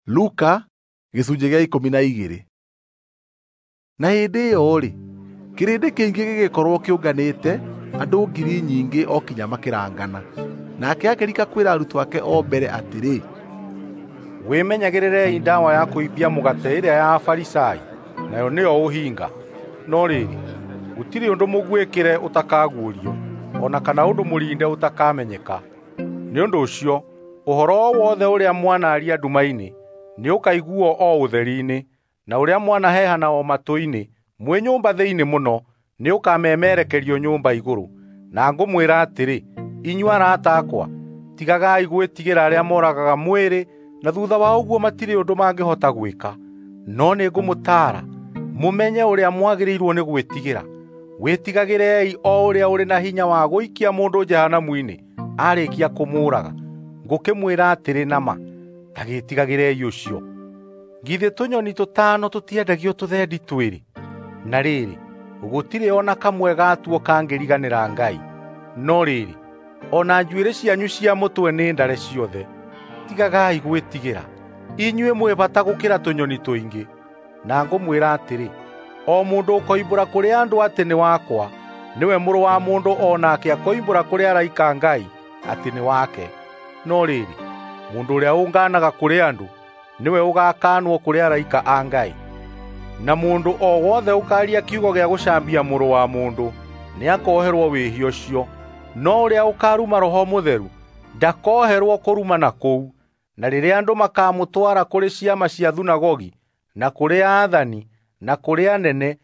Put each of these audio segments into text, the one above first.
Luka gĩcunjĩ gĩa 12. Na hĩndĩ ĩyo-rĩ, kĩrĩndĩ kĩingĩ gĩgĩkorwo kĩũnganĩte, andũ ngiri nyingĩ o kinya makĩrangana. Nake akĩrika kwĩra arutwo ake o mbere atĩrĩ, wĩmenyagĩrĩrei ndawa ya kũimbia mũgate ĩrĩa ya Afarisai, nayo nĩyo ũhinga. No rĩrĩ, gũtirĩ ũndũ mũguĩkĩre ũtakaguũrio, o na kana ũndũ mũrinde ũtakamenyeka. Nĩ ũndũ ũcio, ũhoro o wothe ũrĩa mwanaaria nduma-inĩ nĩũkaiguo o ũtheri-inĩ, na ũrĩa mwanaheehana o matũ-inĩ mwĩ nyũmba thĩinĩ mũno nĩũkamemerekerio nyũmba igũrũ. Na ngũmwĩra atĩrĩ, inyuĩ arata akwa, tigagai gwĩtigĩra arĩa moragaga mwĩrĩ na thutha wa ũguo matirĩ ũndũ mangĩhota gwĩka. No nĩngũmũtaara mũmenye ũrĩa mwagĩrĩirwo nĩ gwĩtigĩra. Wĩtigagĩrei o ũrĩa ũrĩ na hinya wa gũikia mũndũ jehanamu-inĩ arĩkia kũmũũraga. Ngũkĩmwĩra atĩrĩ na ma, ta gĩtigagĩrei ũcio. Githĩ tũnyoni tũtano tũtiendagio tũthendi twĩrĩ? Na rĩrĩ, gũtirĩ o na kamwe gatuo kangĩriganĩra Ngai. No rĩrĩ, o na njuĩrĩ cianyu cia mũtwe nĩ ndare ciothe. Tigagai gwĩtigĩra, inyuĩ mwĩ bata gũkĩra tũnyoni tũingĩ. Na ngũmwĩra atĩrĩ, o mũndũ ũkoimbũra kũrĩ andũ atĩ nĩ wakwa, nĩwe Mũrũ wa Mũndũ o nake akoimbũra kũrĩ araika Ngai atĩ nĩ wake. No rĩrĩ, mũndũ ũrĩa ũnganaga kũrĩ andũ nĩwe ũgaakanwo kũrĩ araika a Ngai. Na mũndũ o wothe ũkaaria kiugo gĩa gũcambia Mũrũ wa Mũndũ nĩakoherwo wĩhia ũcio, no ũrĩa ũkaruma Roho Mũtheru ndakoherwo kũrumana kũu. Na rĩrĩa andũ makamũtwara kũrĩ ciama cia thunagogi, na kũrĩ aathani, na kũrĩ anene,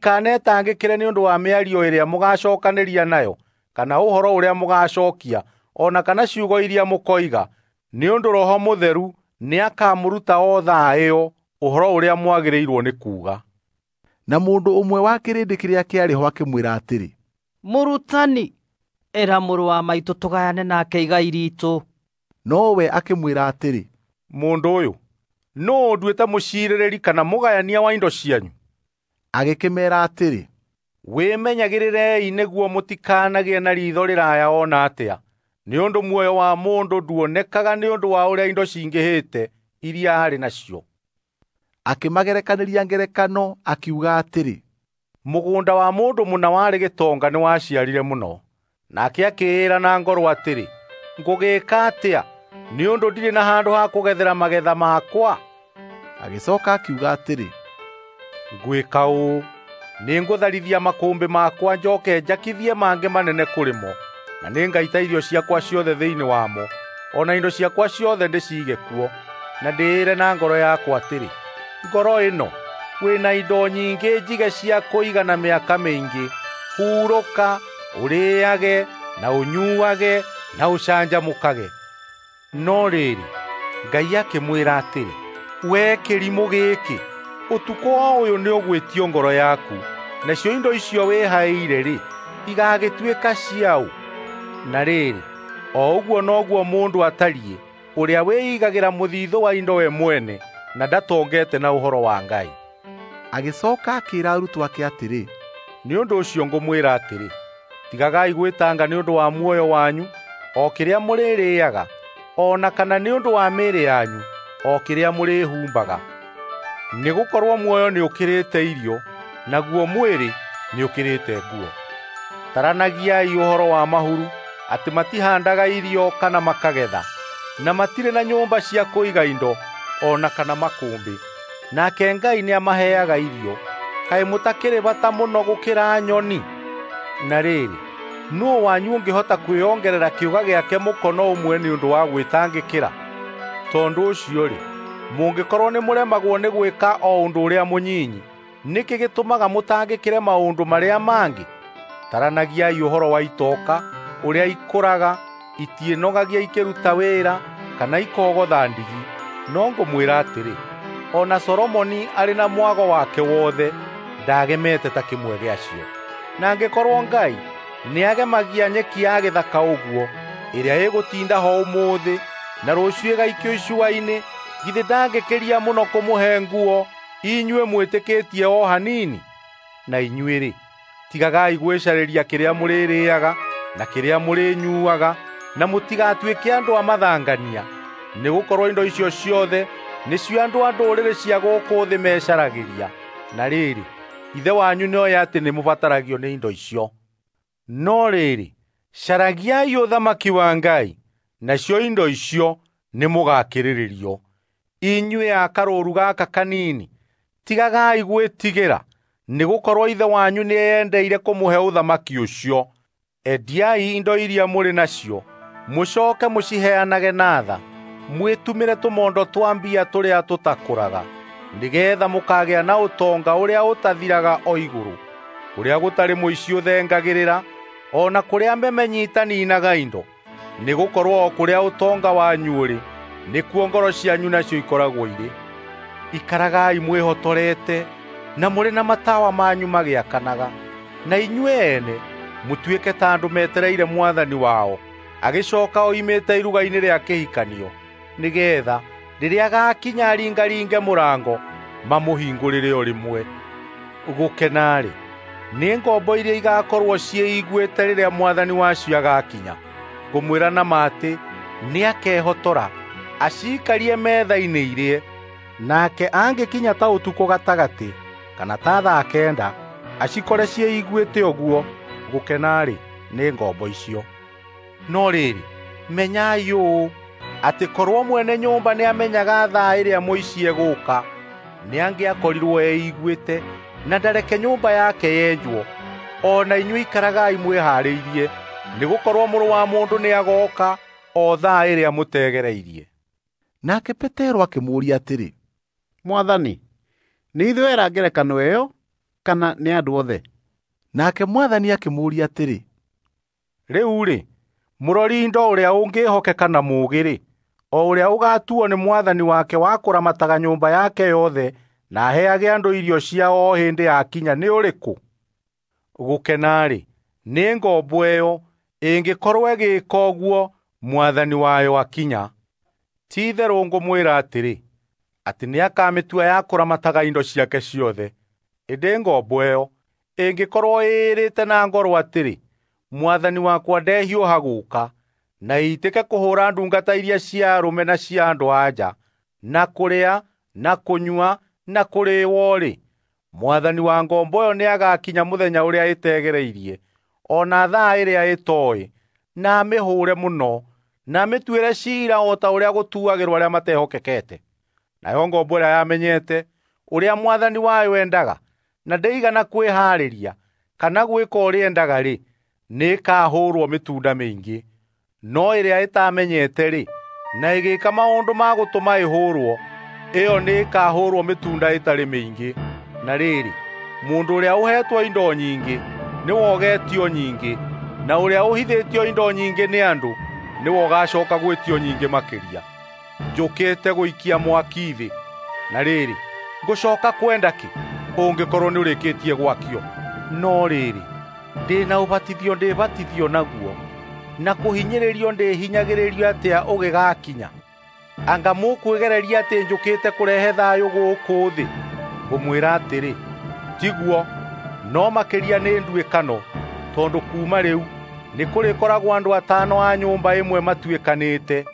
mũtikanetangĩkĩre nĩ ũndũ wa mĩario ĩrĩa mũgacookanĩria nayo, kana ũhoro ũrĩa mũgacookia, o na kana ciugo iria mũkoiga, nĩ ũndũ Roho Mũtheru nĩakamũruta o thaa ĩyo ũhoro ũrĩa mwagĩrĩirwo nĩ kuuga. Na mũndũ ũmwe wa kĩrĩndĩ kĩrĩa kĩarĩ ho akĩmwĩra atĩrĩ, Mũrutani, ĩra mũrũ wa maitũ tũgayane nake igai riitũ. Nowe akĩmwĩra atĩrĩ, Mũndũ ũyũ, nũũ ũnduĩte mũciirĩrĩri kana mũgayania wa indo cianyu? Agĩkĩmeera atĩrĩ, Wĩmenyagĩrĩrei nĩguo mũtikanagĩe na riitho rĩraya o na atĩa, nĩ ũndũ muoyo wa mũndũ nduonekaga nĩ ũndũ wa ũrĩa indo cingĩhĩte iria arĩ nacio. Akĩmagerekanĩria ngerekano akiuga atĩrĩ, Mũgũnda wa mũndũ mũna warĩ gĩtonga nĩwaciarire mũno. Nake akĩĩra na ngoro atĩrĩ, ngũgĩĩka atĩa, nĩ ũndũ ndirĩ na handũ ha kũgethera magetha makwa? Agĩcoka akiuga atĩrĩ, Ngwĩka ũũ, nĩngũtharithia makũmbĩ makwa njoke njakithie mangĩ manene kũrĩ mo, na nĩngaita irio ciakwa ciothe thĩinĩ wamo, o na indo ciakwa ciothe ndĩciige kuo. Na ndĩĩre na ngoro yakwa atĩrĩ, ngoro ĩno, wĩna indo nyingĩ njige cia kũigana mĩaka mĩingĩ, hurũka, ũrĩĩage na ũnyuage na ũcanjamũkage. No rĩrĩ, Ngai akĩmwĩra atĩrĩ, wee kĩrimũ gĩkĩ, ũtukũ o ũyũ nĩũgwĩtio ngoro yaku, nacio indo icio wĩhaĩire-rĩ, igagĩtuĩka ciaũ? Na rĩrĩ, o ũguo noguo mũndũ atariĩ, ũrĩa wĩigagĩra mũthithũ wa indo we mwene na ndatongete na ũhoro wa Ngai. Agĩcoka akĩĩra arutwo ake atĩrĩ, Nĩ ũndũ ũcio ngũmwĩra atĩrĩ, tigagai gwĩtanga nĩ ũndũ wa muoyo wanyu, o kĩrĩa mũrĩrĩĩaga, o na kana nĩ ũndũ wa mĩĩrĩ yanyu, o kĩrĩa mũrĩhumbaga. Nĩgũkorwo muoyo nĩũkĩrĩte irio, naguo mwĩrĩ nĩũkĩrĩte nguo. Taranagiai ũhoro wa mahuru, atĩ matihandaga irio kana makagetha, na matirĩ na nyũmba cia kũiga indo, o na kana makũmbĩ. Nake Ngai nĩamaheaga irio. Kaĩ mũtakĩrĩ bata mũno gũkĩra nyoni? Na rĩrĩ, nũũ wanyu ũngĩhota kwĩongerera kĩũga gĩake mũkono ũmwe nĩ ũndũ wa gwĩtangĩkĩra? Tondũ ũcio-rĩ, mũngĩkorwo nĩmũremagwo nĩ gwĩka o ũndũ ũrĩa mũnyinyi, nĩkĩ gĩtũmaga mũtangĩkĩre maũndũ marĩa mangĩ? Taranagiai ũhoro wa itoka, ũrĩa ikũraga, itiĩnogagia ikĩruta wĩra kana ikogotha ndigi. No ngũmwĩra atĩrĩ, o na Solomoni arĩ na mwago wake wothe ndagemete ta kĩmwe gĩacio. Na angĩkorwo Ngai nĩagemagia nyeki ya gĩthaka ũguo, ĩrĩa ĩgũtinda ho ũmũthĩ na rũciũ ĩgaikio icua-inĩ, githĩ ndangĩkĩria mũno kũmũhe nguo inyuĩ mwĩtĩkĩtie o hanini? Na inyuĩ-rĩ, tigagai gwĩcarĩria kĩrĩa mũrĩrĩĩaga na kĩrĩa mũrĩnyuaga, na mũtigatuĩke andũ a mathangania, nĩgũkorwo indo icio ciothe Nĩcio andũ a ndũrĩrĩ cia gũkũ thĩ mecaragĩria. Na rĩrĩ, Ithe wanyu nĩoĩ atĩ nĩmũbataragio nĩ indo icio. No rĩrĩ, caragiai ũthamaki wa Ngai, nacio indo icio nĩmũgakĩrĩrĩrio. Inyuĩ a karũũru gaka kanini, tigagai gwĩtigĩra, nĩgũkorwo Ithe wanyu nĩeyendeire kũmũhe ũthamaki ũcio. Endiai indo iria mũrĩ nacio, mũcoke mũciheanage na tha, mwĩtumĩre tũmondo twa mbia tũrĩa tũtakũraga, nĩgeetha mũkagĩa na ũtonga ũrĩa ũtathiraga o igũrũ, kũrĩa gũtarĩ mũici ũthengagĩrĩra, o na kũrĩa memenyi itaninaga indo. Nĩgũkorwo o kũrĩa ũtonga wanyu ũrĩ, nĩkuo ngoro cianyu nacio ikoragwo irĩ. Ikaragai mwĩhotorete na mũrĩ na matawa manyu magĩakanaga, na inyuĩ ene mũtuĩke ta andũ metereire mwathani wao agĩcoka oimĩte iruga-inĩ rĩa kĩhikanio, nĩgeetha rĩrĩa agaakinya aringaringe mũrango mamũhingũrĩre o rĩmwe. Gũkena-rĩ, nĩ ngombo iria igaakorwo ciĩiguĩte rĩrĩa mwathani wacio agaakinya. Ngũmwĩra na ma atĩ nĩakehotora aciikarie metha-inĩ irĩe. Nake angĩkinya ta ũtukũ gatagatĩ kana ta thaa 9 acikore ciĩiguĩte ũguo, gũkena-rĩ, nĩ ngombo icio. No rĩrĩ, menyai ũũ, atĩ korwo mwene nyũmba nĩamenyaga thaa ĩrĩa mũici egũũka, nĩangĩakorirwo eiguĩte na ndareke nyũmba yake yenjwo. O na inyuĩ ikaragai mwĩhaarĩirie, nĩgũkorwo Mũrũ wa Mũndũ nĩagooka o thaa ĩrĩa mũtegereirie. Nake Petero akĩmũũria atĩrĩ, Mwathani, nĩ ithuĩ wera ngerekano ĩyo kana nĩ andũ othe? Nake Mwathani akĩmũũria atĩrĩ, Rĩu-rĩ, mũrori indo ũrĩa ũngĩĩhokeka na mũũgĩ-rĩ, o ũrĩa ũgaatuo nĩ mwathani wake wa kũramataga nyũmba yake yothe na aheage andũ irio ciao o hĩndĩ yakinya nĩ ũrĩkũ? Gũkena-rĩ, nĩ ngombo ĩyo ĩngĩkorwo ĩgĩĩka ũguo mwathani wayo akinya. Ti-itherũ ngũmwĩra atĩrĩ, atĩ nĩakamĩtua ya kũramataga indo ciake ciothe. Ĩndĩ ngombo ĩyo ĩngĩkorwo ĩĩrĩte na ngoro atĩrĩ, mwathani wakwa ndehiũha gũũka, na ĩitĩke kũhũũra ndungata iria cia arũme na cia andũ-a-nja, na kũrĩa, na kũnyua, na kũrĩĩo-rĩ, mwathani wa ngombo ĩyo nĩagakinya mũthenya ũrĩa ĩtegereirie, o na thaa ĩrĩa ĩtooĩ, na amĩhũũre mũno, na amĩtuĩre ciira o ta ũrĩa gũtuagĩrwo arĩa matehokekete. Nayo ngombo ĩrĩa yamenyete ũrĩa mwathani wayo endaga, na ndĩigana kwĩhaarĩria kana gwĩka ũrĩa endaga-rĩ, nĩĩkahũũrwo mĩtunda mĩingĩ. No ĩrĩa ĩtamenyete-rĩ, na ĩgĩĩka maũndũ ma gũtũma ĩhũũrwo, ĩyo nĩĩkahũũrwo mĩtunda ĩtarĩ mĩingĩ. Na rĩrĩ, mũndũ ũrĩa ũheetwo indo nyingĩ nĩwe ũgeetio nyingĩ, na ũrĩa ũhithĩtio indo nyingĩ nĩ andũ nĩwe ũgacooka gwĩtio nyingĩ makĩria. Njũkĩte gũikia mwaki thĩ, na rĩrĩ, ngũcooka kwenda kĩ ũngĩkorwo nĩũrĩkĩtie gwakio? No rĩrĩ, ndĩ na ũbatithio ndĩbatithio naguo, na kũhinyĩrĩrio ndĩhinyagĩrĩrio atĩa ũgĩgakinya? Anga mũkwĩgereria atĩ njũkĩte kũrehe thayũ gũkũ thĩ? Ngũmwĩra atĩrĩ, tiguo, no makĩria nĩ nduĩkano, tondũ kuuma rĩu nĩkũrĩkoragwo andũ 5 a nyũmba ĩmwe matuĩkanĩte,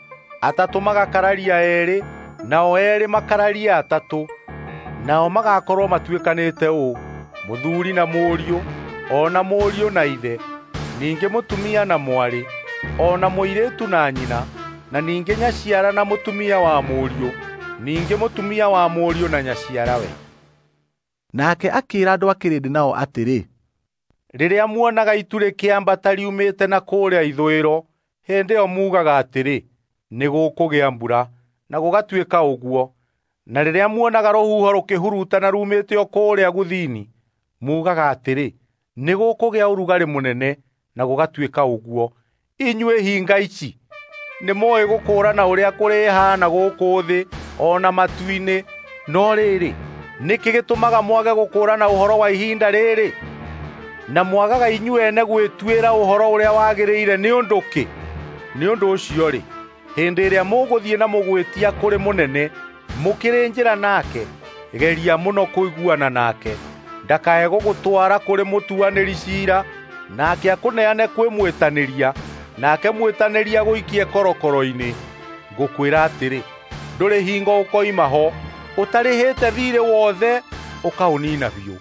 3 magakararia 2, nao 2 makararia 3. Nao magakorwo matuĩkanĩte ũũ: mũthuri na mũriũ, o na mũriũ na ithe, ningĩ mũtumia na mwarĩ, o na mũirĩtu na nyina, na ningĩ nyaciara na mũtumia wa mũriũ, ningĩ mũtumia wa mũriũ na nyaciarawe. Nake akĩĩra andũ a kĩrĩndĩ nao atĩrĩ, Rĩrĩa muonaga itu rĩkĩambata riumĩte na kũrĩa ithũĩro, hĩndĩ ĩyo muugaga atĩrĩ, nĩgũkũgĩa mbura, na gũgatuĩka ũguo. Na rĩrĩa muonaga rũhuho rũkĩhurutana rumĩte o kũrĩa gũthini, muugaga atĩrĩ, nĩgũkũgĩa ũrugarĩ mũnene, na gũgatuĩka ũguo. Inyuĩ hinga ici, nĩmũũĩ gũkũũrana ũrĩa kũrĩhaana gũkũ thĩ o na matu-inĩ, no rĩrĩ, nĩkĩ gĩtũmaga mwage gũkũũrana ũhoro wa ihinda rĩrĩ? Na mwagaga inyuĩ ene gwĩtuĩra ũhoro ũrĩa wagĩrĩire nĩ ũndũ kĩ? Nĩ ũndũ ũcio-rĩ, hĩndĩ ĩrĩa mũgũthiĩ na mũgwĩtia kũrĩ mũnene, mũkĩrĩ njĩra nake, geria mũno kũiguana nake, ndakae gũgũtwara kũrĩ mũtuanĩri ciira, nake akũneane kwĩ mwĩtanĩria, nake mwĩtanĩria gũikie korokoro-inĩ. Ngũkwĩra atĩrĩ, Ndũrĩ hingo ũkoima ho ũtarĩhĩte thiirĩ wothe ũkaũniina biũ.